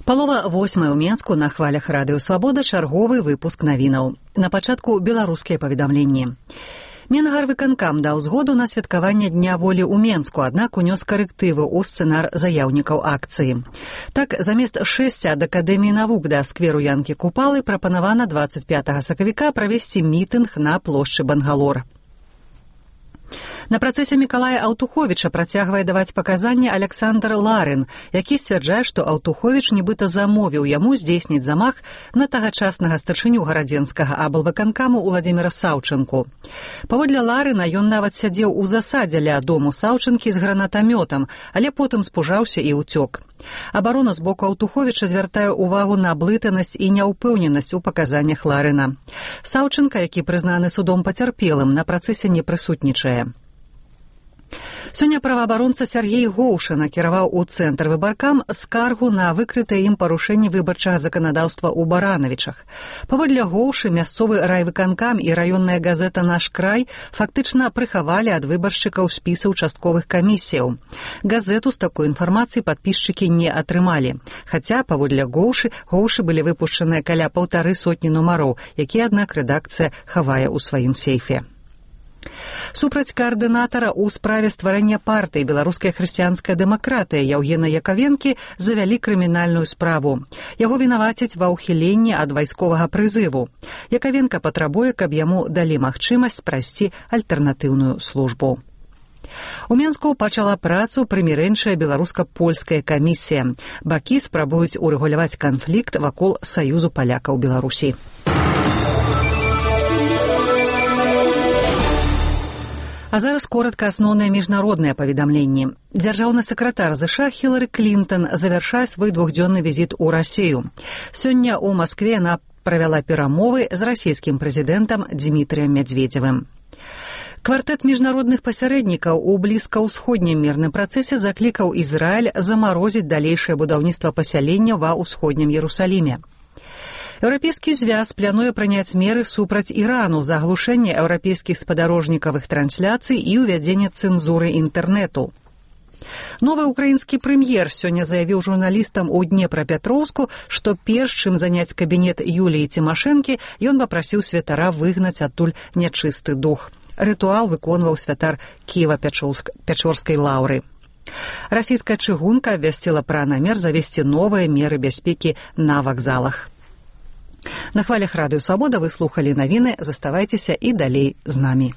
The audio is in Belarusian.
7:08 у Менску на хвалях радыё «Свабода» чарговы выпуск навінаў. На пачатку беларускія паведамленні. Менгарвыканкам даў згоду на святкаванне Дня волі ў Менску, аднак унёс карэктывы ў сцэнар заяўнікаў акцыі. Так, замест шэсця ад Акадэміі навук да скверу Янкі Купалы прапанавана 25 сакавіка правесці мітынг на плошчы Бангалор. На працэсе Мікалая Аўтуховіча працягвае даваць паказанні Александр Ларин, які сцвярджае, што Аўтуховіч нібыта замовіў яму здзейсніць замах на тагачаснага старшыню гарадзенскага аблвыканкаму Уладзіміра Саўчынку. Паводле Ларина, ён нават сядзеў у засадзе ля дому Саўчынкі з гранатамётам, але потым спужаўся і ўцёк. Абарона з боку Аўтуховіча звяртае ўвагу на блытанасць і няўпэўненасць у паказаннях Ларина. Саўчынка, які прызнаны судом пацярпелым, на працэсе не прысутнічае. Сёння праваабаронца Сяргей Гоўша накіраваў у цэнтр выбаркам скаргу на выкрытае ім парушэнне выбарчага заканадаўства ў Баранавічах. Паводле Гоўшы, мясцовы райвыканкам і раённая газета «Наш край» фактычна прыхавалі ад выбаршчыкаў спісы ўчастковых камісіяў. Газету з такой інфармацыяй падпісчыкі не атрымалі. Хаця, паводле Гоўшы былі выпушчаныя каля 150 нумароў, якія, аднак, рэдакцыя хавае ў сваім сейфе. Супраць каардынатара ў справе стварэння партыі «Беларуская хрысціянская дэмакратыя» Яўгена Якавенкі завялі крымінальную справу. Яго вінавацяць ва ўхіленні ад вайсковага прызыву. Якавенка патрабуе, каб яму далі магчымасць прайсці альтэрнатыўную службу. У Менску пачала працу прымірэнчая беларуска-польская камісія. Бакі спрабуюць урэгуляваць канфлікт вакол саюзу палякаў Беларусі. А зараз коротка асноўныя міжнародныя паведамленні. Дзяржаўны сакратар ЗША Хілары Клінтон завяршае свой двухдзённы візіт у Расію. Сёння ў Маскве яна правяла перамовы з расійскім прэзідэнтам Дзмітрыем Мядзведзевым. Квартэт міжнародных пасярэднікаў у блізкаўсходнім мірным працэсе заклікаў Ізраіль замарозіць далейшае будаўніцтва пасялення ва ўсходнім Ерусаліме. Еўрапейскі звяз плануе прыняць меры супраць Ірану за аглушэнне еўрапейскіх спадарожнікавых трансляцый і ўвядзенне цэнзуры інтэрнэту. Новы ўкраінскі прэм'ер сёння заявіў журналістам у Днепрапетроўску, што перш чым заняць кабінет Юліі Цімашэнкі, ён папрасіў святара выгнаць адтуль нячысты дух. Рытуал выконваў святар Кіева-Пячорскай лаўры. Расійская чыгунка абвясціла пра намер завесці новыя меры бяспекі на вакзалах. На хвалях радыё «Свабода» вы слухалі навіны, заставайцеся і далей з намі.